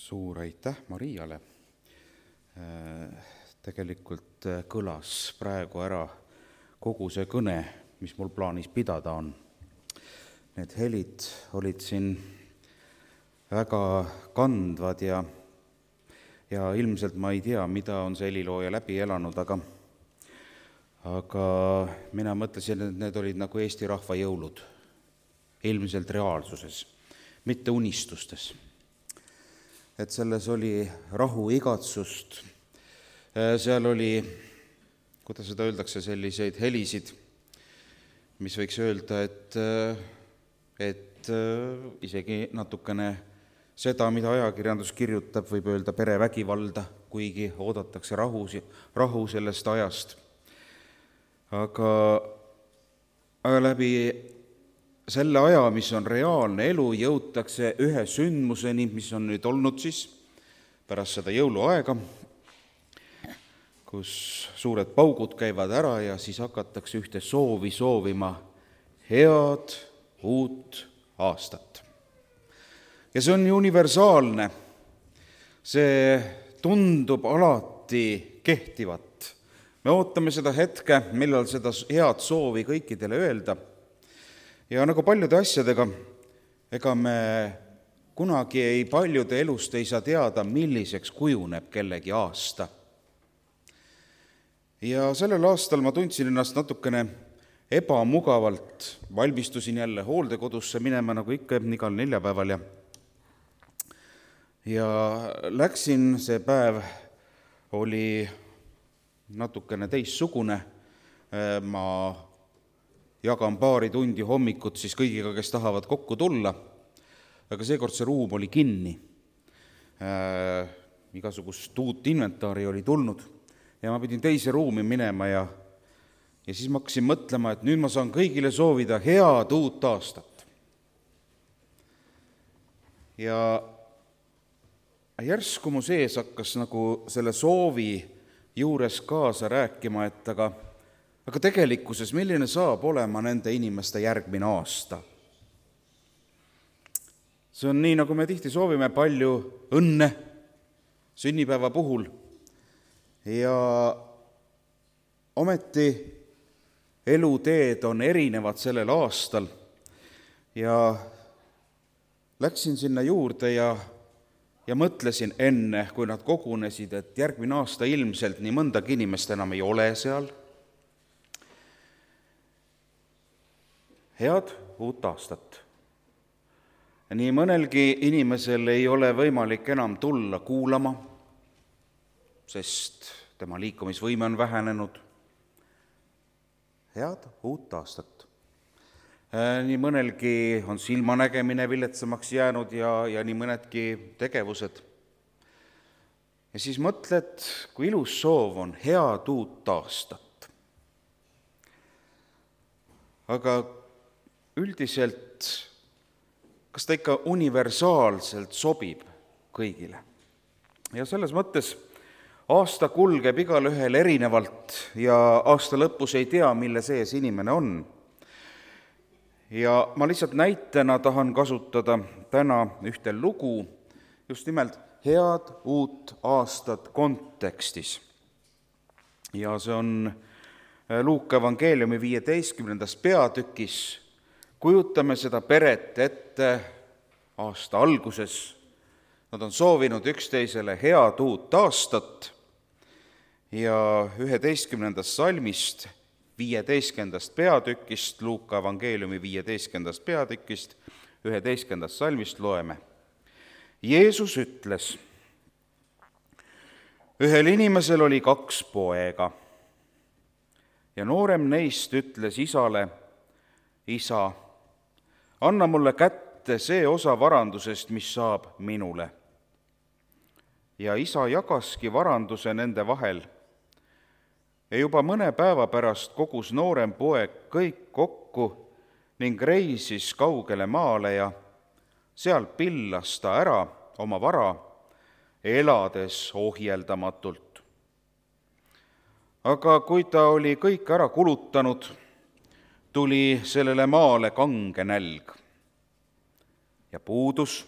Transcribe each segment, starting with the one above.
Suur aitäh Mariale. Tegelikult kõlas praegu ära kogu see kõne, mis mul plaanis pidada on. Need helid olid siin väga kandvad ja ilmselt ma ei tea, mida on see helilooja läbi elanud, aga mina mõtlesin, et need olid nagu Eesti rahva jõulud, ilmselt reaalsuses, mitte unistustes. Et selles oli rahu, igatsust, seal oli, kuidas seda öeldakse, selliseid helisid, mis võiks öelda, et isegi natukene seda, mida ajakirjandus kirjutab, võib öelda perevägivalda, kuigi oodatakse rahu sellest ajast. Aga läbi selle aja, mis on reaalne elu, jõutakse ühe sündmuseni, mis on nüüd olnud siis pärast seda jõuluaega, kus suured paugud käivad ära ja siis hakatakse ühte soovi soovima, head uut aastat. Ja see on universaalne, see tundub alati kehtivat. Me ootame seda hetke, millal seda head soovi kõikidele öelda. Ja nagu paljude asjadega, ega me kunagi paljude elust ei saa teada, milliseks kujuneb kellegi aasta. Ja sellel aastal ma tundsin ennast natukene ebamugavalt, valmistusin jälle hooldekodusse minema, nagu ikka igal neljapäeval ja läksin, see päev oli natukene teistsugune, ma jagan paari tundi hommikut siis kõigiga, kes tahavad kokku tulla, aga seekord see ruum oli kinni. Igasugust uut inventaari oli tulnud ja ma pidin teise ruumi minema ja siis ma hakkasin mõtlema, et nüüd ma saan kõigile soovida head uut aastat. Ja järsku mu sees hakkas nagu selle soovi juures kaasa rääkima, et aga tegelikkuses, milline saab olema nende inimeste järgmine aasta? See on nii, nagu me tihti soovime palju õnne sünnipäeva puhul ja ometi eluteed on erinevad sellel aastal ja läksin sinna juurde ja mõtlesin enne, kui nad kogunesid, et järgmine aasta ilmselt nii mõndagi inimest enam ei ole seal. Head uut aastat. Nii mõnelgi inimesel ei ole võimalik enam tulla kuulama, sest tema liikumisvõime on vähenenud. Head uut aastat. Nii mõnelgi on silmanägemine viletsamaks jäänud ja nii mõnedki tegevused. Ja siis mõtled, kui ilus soov on head uut aastat. Aga üldiselt, kas ta ikka universaalselt sobib kõigile? Ja selles mõttes aasta kulgeb igal ühel erinevalt ja aasta lõpus ei tea, mille sees inimene on. Ja ma lihtsalt näitena tahan kasutada täna ühte lugu, just nimelt head uut aastat kontekstis. Ja see on Luuka evangeeliumi 15. peatükis. Kujutame seda peret ette aasta alguses. Nad on soovinud üksteisele head uut aastat ja 11. salmist 15. peatükist, Luuka evangeeliumi 15. peatükist, 11. salmist loeme. Jeesus ütles, ühel inimesel oli 2 poega ja noorem neist ütles isale, isa, anna mulle kätte see osa varandusest, mis saab minule. Ja isa jagaski varanduse nende vahel. Ja juba mõne päeva pärast kogus noorem poeg kõik kokku ning reisis kaugele maale ja seal pillas ta ära oma vara, elades ohjeldamatult. Aga kui ta oli kõik ära kulutanud, tuli sellele maale kange nälg ja puudus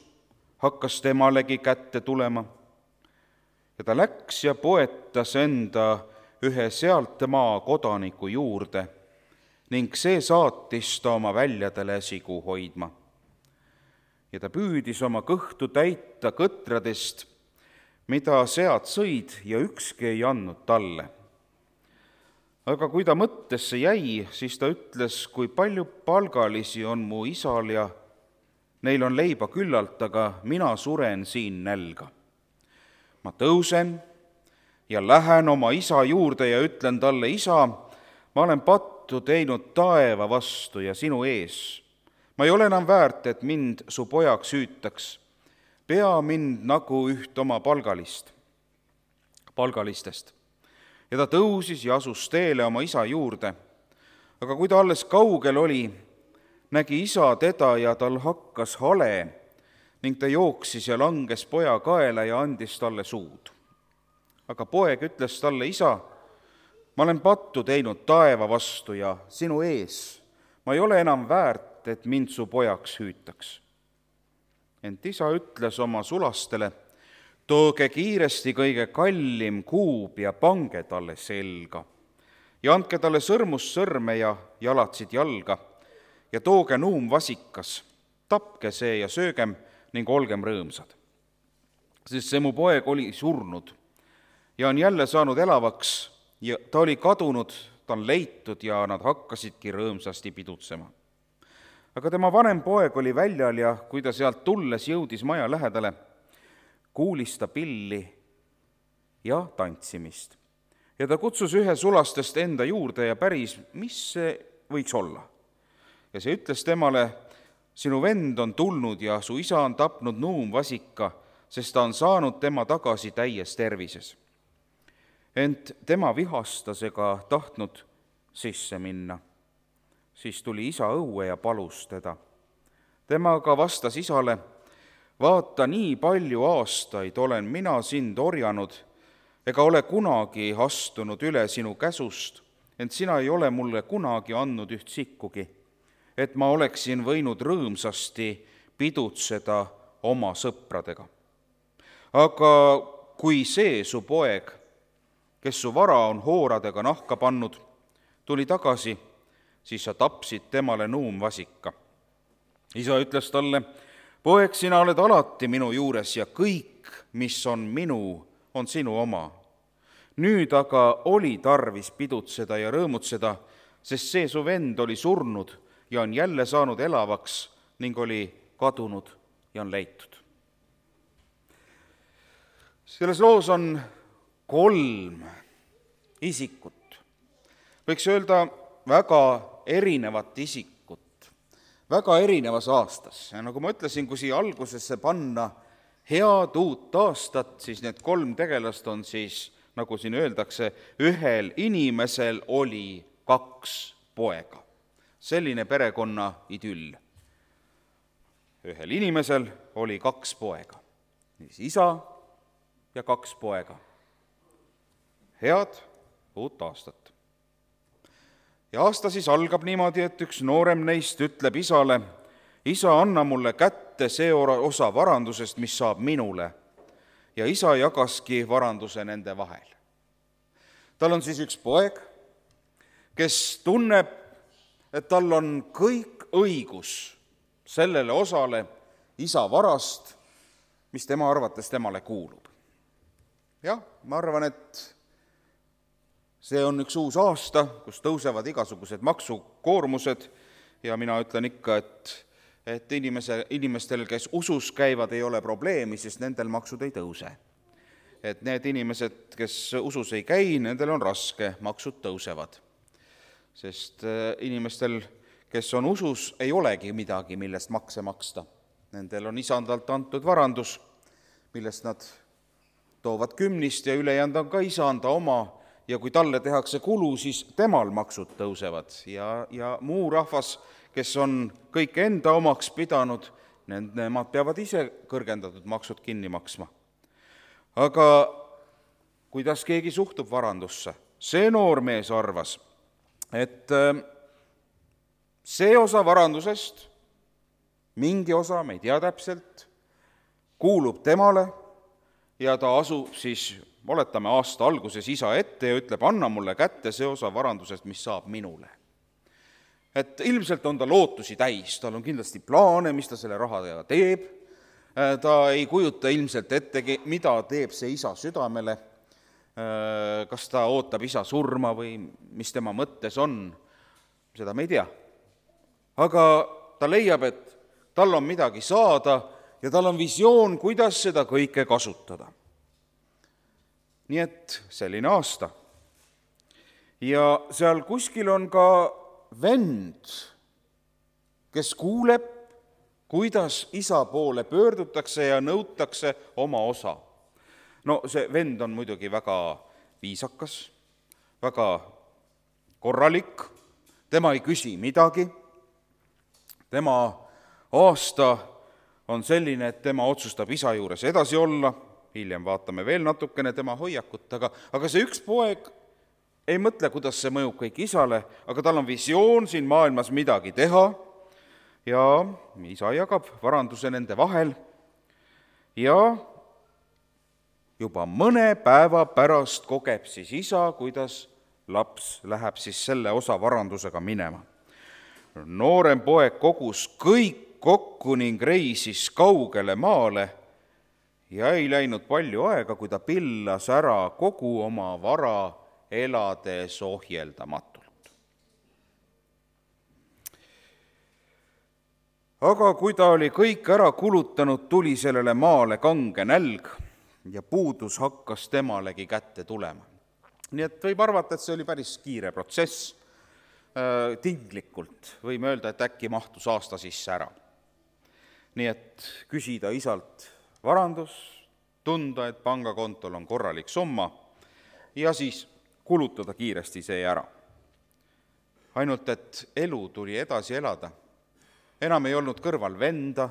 hakkas temalegi kätte tulema. Ja ta läks ja poetas enda ühe sealt maa kodaniku juurde ning see saatis ta oma väljadele sigu hoidma. Ja ta püüdis oma kõhtu täita kõtradest, mida sead sõid, ja ükski ei andnud talle. Aga kui ta mõttesse jäi, siis ta ütles, kui palju palgalisi on mu isal ja neil on leiba küllalt, aga mina suren siin nälga. Ma tõusen ja lähen oma isa juurde ja ütlen talle, isa, ma olen pattu teinud taeva vastu ja sinu ees. Ma ei ole enam väärt, et mind su pojaks hüütaks. Pea mind nagu üht oma palgalistest. Ja ta tõusis ja asus teele oma isa juurde. Aga kui ta alles kaugel oli, nägi isa teda ja tal hakkas hale ning ta jooksis ja langes poja kaela ja andis talle suud. Aga poeg ütles talle, isa, ma olen pattu teinud taeva vastu ja sinu ees. Ma ei ole enam väärt, et mind su pojaks hüütaks. Ent isa ütles oma sulastele, tooge kiiresti kõige kallim kuub ja pange talle selga ja andke talle sõrmust sõrme ja jalatsid jalga ja tooge nuumvasikas, tapke see ja söögem ning olgem rõõmsad. Sest see mu poeg oli surnud ja on jälle saanud elavaks ja ta oli kadunud, ta on leitud ja nad hakkasidki rõõmsasti pidutsema. Aga tema vanem poeg oli väljal ja kui ta sealt tulles jõudis maja lähedale, kuulis ta pilli ja tantsimist. Ja ta kutsus ühe sulastest enda juurde ja päris, mis see võiks olla. Ja see ütles temale, sinu vend on tulnud ja su isa on tapnud nuumvasika, sest ta on saanud tema tagasi täies tervises. Ent tema vihastas ega tahtnud sisse minna. Siis tuli isa õue ja palus teda. Tema aga vastas isale, vaata, nii palju aastaid olen mina sind orjanud, ega ole kunagi astunud üle sinu käsust, ent sina ei ole mulle kunagi andnud üht sikkugi, et ma oleksin võinud rõõmsasti pidutseda oma sõpradega. Aga kui see su poeg, kes su vara on hooradega nahka pannud, tuli tagasi, siis sa tapsid temale nuumvasika. Isa ütles talle, poeg, sina oled alati minu juures ja kõik, mis on minu, on sinu oma. Nüüd aga oli tarvis pidutseda ja rõõmutseda, sest see su vend oli surnud ja on jälle saanud elavaks ning oli kadunud ja on leitud. Selles loos on 3 isikut. Võiks öelda väga erinevat isikut, väga erinevas aastas. Ja nagu ma ütlesin, kui siia algusesse panna head uut aastat, siis need 3 tegelast on siis, nagu siin öeldakse, ühel inimesel oli 2 poega. Selline perekonna idüll. Ühel inimesel oli 2 poega. Isa ja 2 poega. Head uut aastat. Ja aasta siis algab niimoodi, et üks noorem neist ütleb isale, isa, anna mulle kätte see osa varandusest, mis saab minule. Ja isa jagaski varanduse nende vahel. Tal on siis üks poeg, kes tunneb, et tal on kõik õigus sellele osale isa varast, mis tema arvates temale kuulub. Jah, ma arvan, et see on üks uus aasta, kus tõusevad igasugused maksukoormused ja mina ütlen ikka, et inimestel, kes usus käivad, ei ole probleemi, sest nendel maksud ei tõuse. Et need inimesed, kes usus ei käi, nendel on raske, maksud tõusevad. Sest inimestel, kes on usus, ei olegi midagi, millest makse maksta. Nendel on isandalt antud varandus, millest nad toovad 10 ja ülejäänud on ka isanda oma, ja kui talle tehakse kulu, siis temal maksud tõusevad. Ja muu rahvas, kes on kõik enda omaks pidanud, nemad peavad ise kõrgendatud maksud kinni maksma. Aga kuidas keegi suhtub varandusse? See noormees arvas, et see osa varandusest, mingi osa, me ei tea täpselt, kuulub temale ja ta asub siis, oletame, aasta alguses isa ette ja ütleb, anna mulle kätte see osa varandusest, mis saab minule. Et ilmselt on ta lootusi täis, tal on kindlasti plaane, mis ta selle rahaga teeb, ta ei kujuta ilmselt ettegi, mida teeb see isa südamele, kas ta ootab isa surma või mis tema mõttes on, seda me ei tea. Aga ta leiab, et tal on midagi saada ja tal on visioon, kuidas seda kõike kasutada. Nii et selline aasta. Ja seal kuskil on ka vend, kes kuuleb, kuidas isa poole pöördutakse ja nõutakse oma osa. No see vend on muidugi väga viisakas, väga korralik, tema ei küsi midagi, tema aasta on selline, et tema otsustab isa juures edasi olla, hiljem vaatame veel natukene tema hoiakut, aga see üks poeg ei mõtle, kuidas see mõjub kõik isale, aga tal on visioon siin maailmas midagi teha ja isa jagab varanduse nende vahel ja juba mõne päeva pärast kogeb siis isa, kuidas laps läheb siis selle osa varandusega minema. Noorem poeg kogus kõik kokku ning reisis kaugele maale ja ei läinud palju aega, kui ta pillas ära kogu oma vara, elades ohjeldamatult. Aga kui ta oli kõik ära kulutanud, tuli sellele maale kange nälg ja puudus hakkas temalegi kätte tulema. Nii et võib arvata, et see oli päris kiire protsess, tinglikult võime öelda, et äkki mahtus aasta sisse ära. Nii et küsida isalt varandus, tunda, et pangakontol on korralik summa ja siis kulutada kiiresti see ära. Ainult, et elu tuli edasi elada. Enam ei olnud kõrval venda,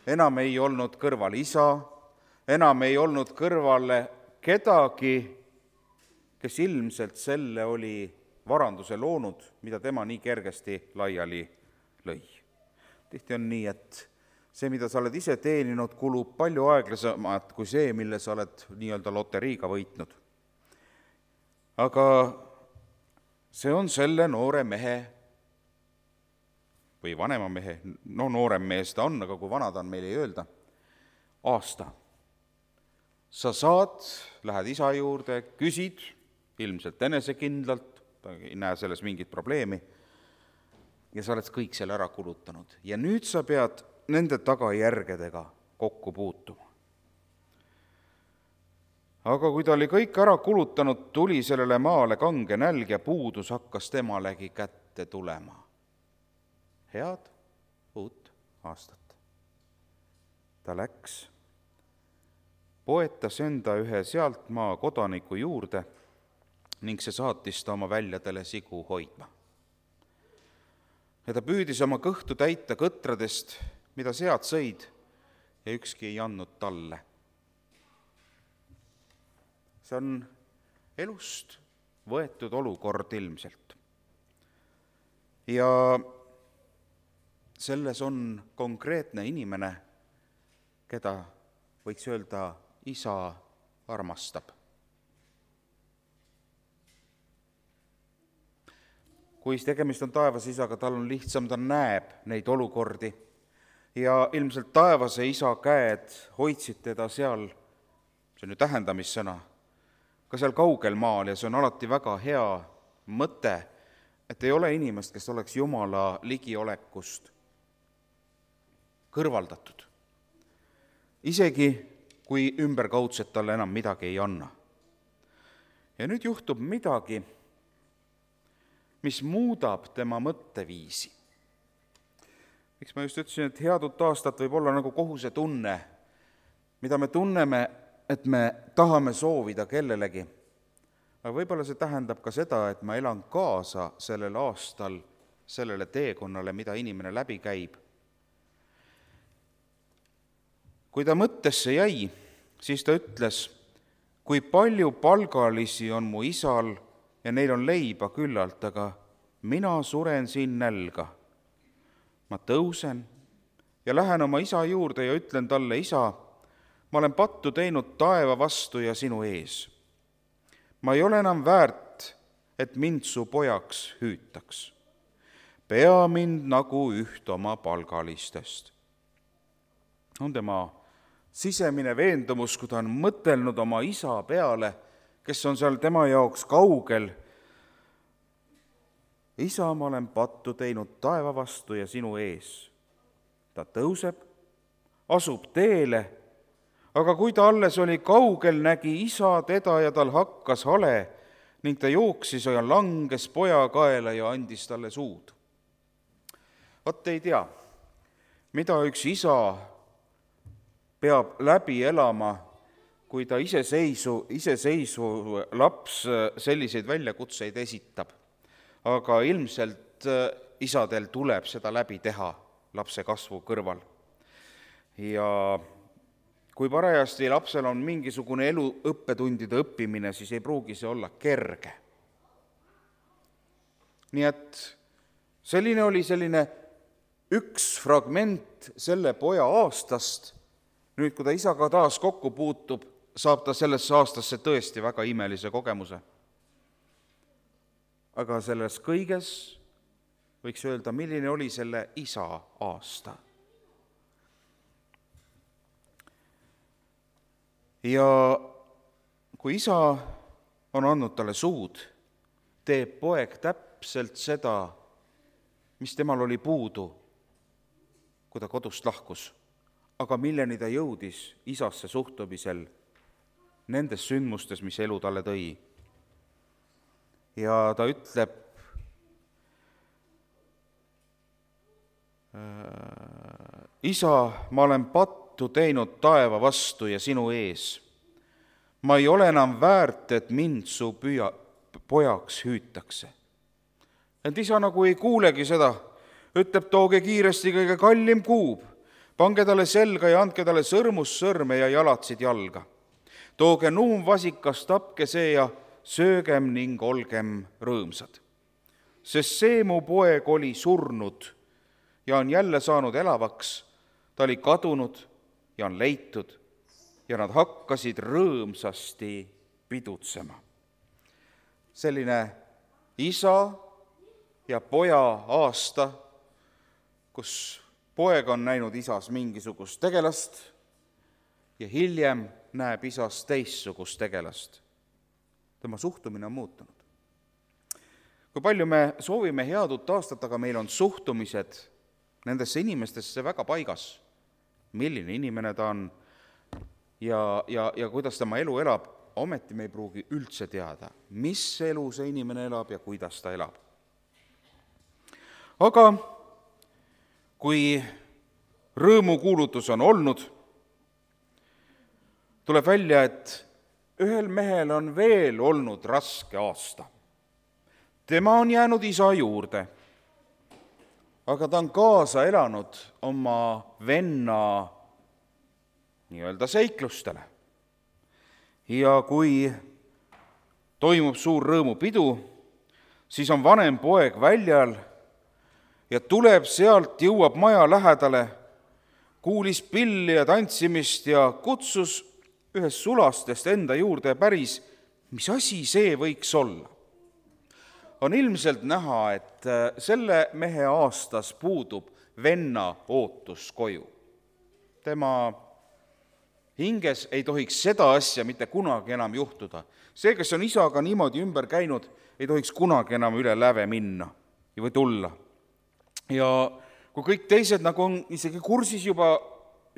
enam ei olnud kõrval isa, enam ei olnud kõrvale kedagi, kes ilmselt selle oli varanduse loonud, mida tema nii kergesti laiali lõi. Tihti on nii, et see, mida sa oled ise teeninud, kulub palju aeglasemalt kui see, mille sa oled nii-öelda loteriiga võitnud. Aga see on selle noore mehe või vanema mehe, no noorem mees ta on, aga kui vana ta on, meil ei öelda, aasta. Sa saad, lähed isa juurde, küsid, ilmselt enesekindlalt, ta ei näe selles mingit probleemi, ja sa oled kõik selle ära kulutanud. Ja nüüd sa pead nende tagajärgedega kokku puutuma. Aga kui ta oli kõik ära kulutanud, tuli sellele maale kange nälg ja puudus hakkas temalegi kätte tulema. Head uut aastat. Ta läks, poetas enda ühe sealtmaa kodaniku juurde ning see saatis ta oma väljadele sigu hoidma. Ja ta püüdis oma kõhtu täita kõtradest, mida sead sõid, ja ükski ei andnud talle. See on elust võetud olukord ilmselt. Ja selles on konkreetne inimene, keda võiks öelda isa armastab. Kui tegemist on taevase isaga, tal on lihtsam, ta näeb neid olukordi ja ilmselt taevase isa käed hoidsid teda seal, see on ju tähendamissõna, ka seal kaugel maal ja see on alati väga hea mõte, et ei ole inimest, kes oleks Jumala ligiolekust kõrvaldatud. Isegi kui ümberkaudselt talle enam midagi ei anna. Ja nüüd juhtub midagi, mis muudab tema mõtteviisi. Miks ma just ütlesin, et head uut aastat võib olla nagu kohusetunne, mida me tunneme, et me tahame soovida kellelegi. Aga võib-olla see tähendab ka seda, et ma elan kaasa sellel aastal, sellele teekonnale, mida inimene läbi käib. Kui ta mõttesse jäi, siis ta ütles, kui palju palgalisi on mu isal ja neil on leiba küllalt, aga mina suren siin nälga. Ma tõusen ja lähen oma isa juurde ja ütlen talle, isa, ma olen pattu teinud taeva vastu ja sinu ees. Ma ei ole enam väärt, et mind su pojaks hüütaks. Pea mind nagu üht oma palgalistest. On tema sisemine veendumus, kui ta on mõtelnud oma isa peale, kes on seal tema jaoks kaugel. Isa, ma olen pattu teinud taeva vastu ja sinu ees. Ta tõuseb, asub teele, aga kui ta alles oli kaugel, nägi isa teda ja tal hakkas hale ning ta jooksis ja langes poja kaela ja andis talle suud. Vot ei tea, mida üks isa peab läbi elama, kui ta iseseisu laps selliseid väljakutseid esitab. Aga ilmselt isadel tuleb seda läbi teha lapse kasvu kõrval. Ja kui parajasti lapsel on mingisugune elu õppetundide õppimine, siis ei pruugi see olla kerge. Nii et selline oli üks fragment selle poja aastast. Nüüd, kui ta isaga taas kokku puutub, saab ta sellesse aastasse tõesti väga imelise kogemuse. Aga selles kõiges võiks öelda, milline oli selle isa aasta. Ja kui isa on andnud talle suud, teeb poeg täpselt seda, mis temal oli puudu, kui ta kodust lahkus, aga milleni ta jõudis isasse suhtumisel nendes sündmustes, mis elu talle tõi. Ja ta ütleb, isa, ma olen pattu teinud taeva vastu ja sinu ees. Ma ei ole enam väärt, et mind su pojaks hüütakse. Et isa nagu ei kuulegi seda, ütleb, tooge kiiresti kõige kallim kuub, pange talle selga ja andke talle sõrmussõrme ja jalatsid jalga. Tooge nuumvasikas, tapke see ja söögem ning olgem rõõmsad. Sest see mu poeg oli surnud ja on jälle saanud elavaks, ta oli kadunud ja on leitud ja nad hakkasid rõõmsasti pidutsema. Selline isa ja poja aasta, kus poeg on näinud isas mingisugust tegelast ja hiljem näeb isas teistsugust tegelast. Tema suhtumine on muutunud. Kui palju me soovime head uut aastat, aga meil on suhtumised nendesse inimestesse väga paigas, milline inimene ta on ja kuidas tema elu elab, ometi me ei pruugi üldse teada, mis elu see inimene elab ja kuidas ta elab. Aga kui rõõmukuulutus on olnud, tuleb välja, et ühel mehel on veel olnud raske aasta. Tema on jäänud isa juurde, aga ta on kaasa elanud oma venna nii-öelda seiklustele. Ja kui toimub suur rõõmupidu, siis on vanem poeg väljal ja tuleb sealt, jõuab maja lähedale, kuulis pilli ja tantsimist ja kutsus ühest sulastest enda juurde ja päris, mis asi see võiks olla. On ilmselt näha, et selle mehe aastas puudub venna ootus koju. Tema hinges ei tohiks seda asja mitte kunagi enam juhtuda. See, kes on isaga niimoodi ümber käinud, ei tohiks kunagi enam üle läve minna või tulla. Ja kui kõik teised nagu on isegi kursis juba,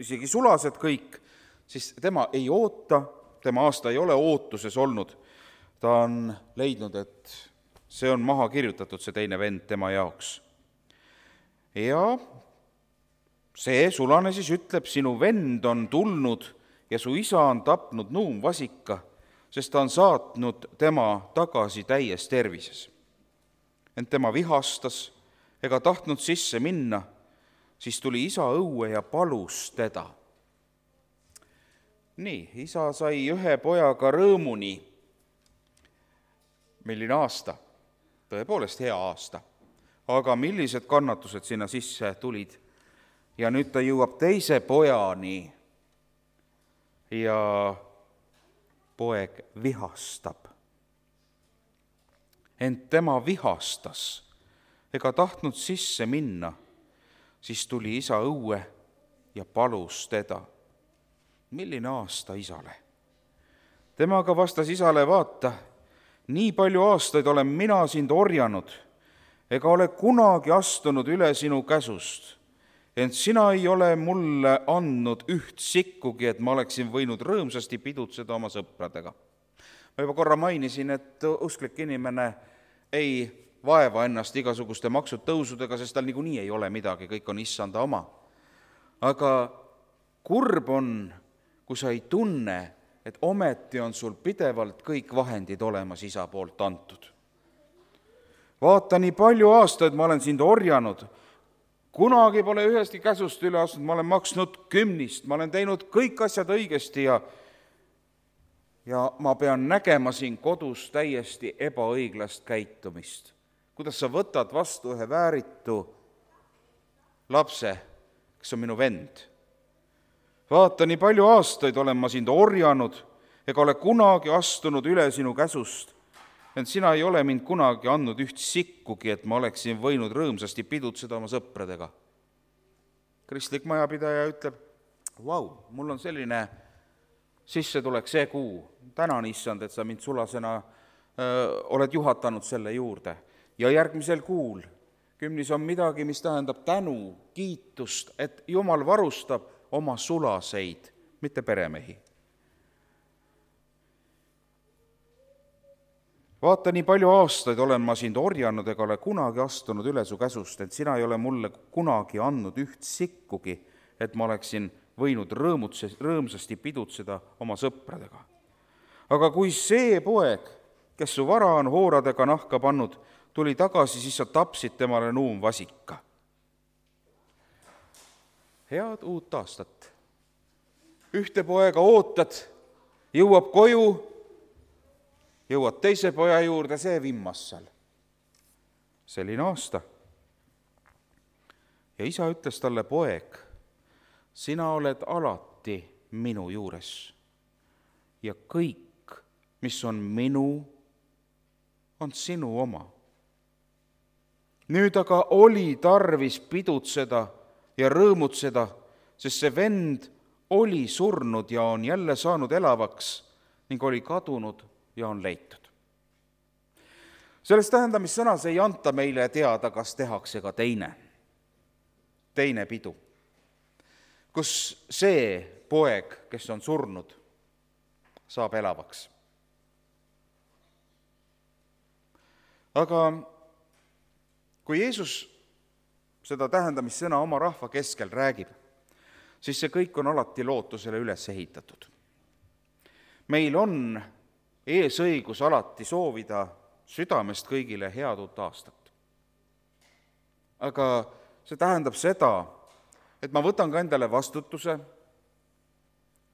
isegi sulased kõik, siis tema ei oota, tema aasta ei ole ootuses olnud. Ta on leidnud, et see on maha kirjutatud, see teine vend tema jaoks. Ja see sulane siis ütleb, sinu vend on tulnud ja su isa on tapnud nuumvasika, sest ta on saatnud tema tagasi täies tervises. Ent tema vihastas ega tahtnud sisse minna, siis tuli isa õue ja palus teda. Nii, isa sai ühe pojaga rõõmuni. Milline aasta? Tõepoolest hea aasta. Aga millised kannatused sinna sisse tulid? Ja nüüd ta jõuab teise pojani. ja poeg vihastab. Ent tema vihastas ega tahtnud sisse minna, siis tuli isa õue ja palus teda. Milline aasta isale? Tema aga vastas isale, vaata, nii palju aastaid olen mina sind orjanud, ega ole kunagi astunud üle sinu käsust, ent sina ei ole mulle andnud üht sikkugi, et ma oleksin võinud rõõmsasti pidutseda oma sõpradega. Ma juba korra mainisin, et usklik inimene ei vaeva ennast igasuguste maksutõusudega, sest tal niikuinii ei ole midagi, kõik on issanda oma. Aga kurb on, kui sa ei tunne, et ometi on sul pidevalt kõik vahendid olemas isa poolt antud. Vaata, nii palju aastaid ma olen sind orjanud, kunagi pole ühestki käsust üle astunud, ma olen maksnud 10, ma olen teinud kõik asjad õigesti ja ma pean nägema siin kodus täiesti ebaõiglast käitumist. Kuidas sa võtad vastu ühe vääritu lapse, kes on minu vend? Vaata, nii palju aastaid olen ma sind orjanud, ega ole kunagi astunud üle sinu käsust, ent sina ei ole mind kunagi andnud üht sikkugi, et ma oleksin võinud rõõmsasti pidutseda oma sõpradega. Kristlik majapidaja ütleb, vau, mul on selline sissetulek see kuu, tänan issand, et sa mind sulasena oled juhatanud selle juurde. Ja järgmisel kuul 10 on midagi, mis tähendab tänu, kiitust, et Jumal varustab oma sulaseid, mitte peremehi. Vaata, nii palju aastaid olen ma sind orjanud, ega ole kunagi astunud üle su käsust, et sina ei ole mulle kunagi andnud üht sikkugi, et ma oleksin võinud rõõmsasti pidutseda oma sõpradega. Aga kui see poeg, kes su vara on hooradega nahka pannud, tuli tagasi, siis sa tapsid temale nuumvasika. Head uut aastat. Ühte poega ootad, jõuab koju, jõuad teise poja juurde, see vimmas seal. Selline aasta. Ja isa ütles talle, poeg, sina oled alati minu juures ja kõik, mis on minu, on sinu oma. Nüüd aga oli tarvis pidutseda ja rõõmutseda, sest see vend oli surnud ja on jälle saanud elavaks ning oli kadunud ja on leitud. Selles tähendamissõnas ei anta meile teada, kas tehakse ka teine pidu, kus see poeg, kes on surnud, saab elavaks. Aga kui Jeesus seda tähendamissõna oma rahva keskel räägib, siis see kõik on alati lootusele üles ehitatud. Meil on eesõigus alati soovida südamest kõigile head uut aastat. Aga see tähendab seda, et ma võtan ka endale vastutuse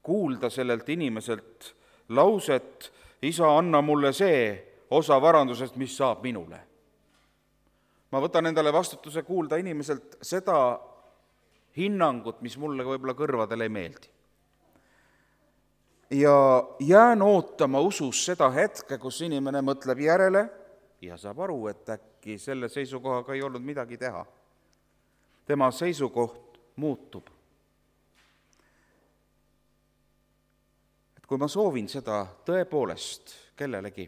kuulda sellelt inimeselt lauset, isa, anna mulle see osa varandusest, mis saab minule. Ma võtan endale vastutuse kuulda inimeselt seda hinnangut, mis mulle võib-olla kõrvadele ei meeldi. Ja jään ootama usus seda hetke, kus inimene mõtleb järele ja saab aru, et äkki selle seisukohaga ei olnud midagi teha. Tema seisukoht muutub. Et kui ma soovin seda tõepoolest kellelegi,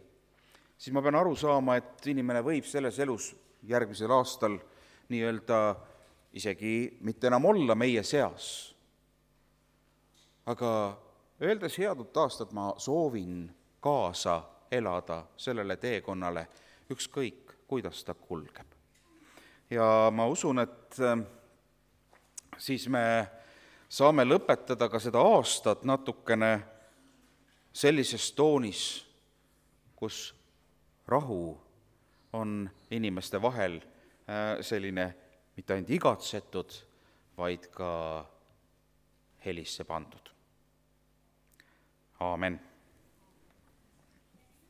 siis ma pean aru saama, et inimene võib selles elus järgmisel aastal nii-öelda isegi mitte enam olla meie seas. Aga öeldes head uut aastat, ma soovin kaasa elada sellele teekonnale, ükskõik, kuidas ta kulgeb. Ja ma usun, et siis me saame lõpetada ka seda aastat natukene sellises toonis, kus rahu on inimeste vahel selline mitte ainult igatsetud, vaid ka helisse pandud. Aamen.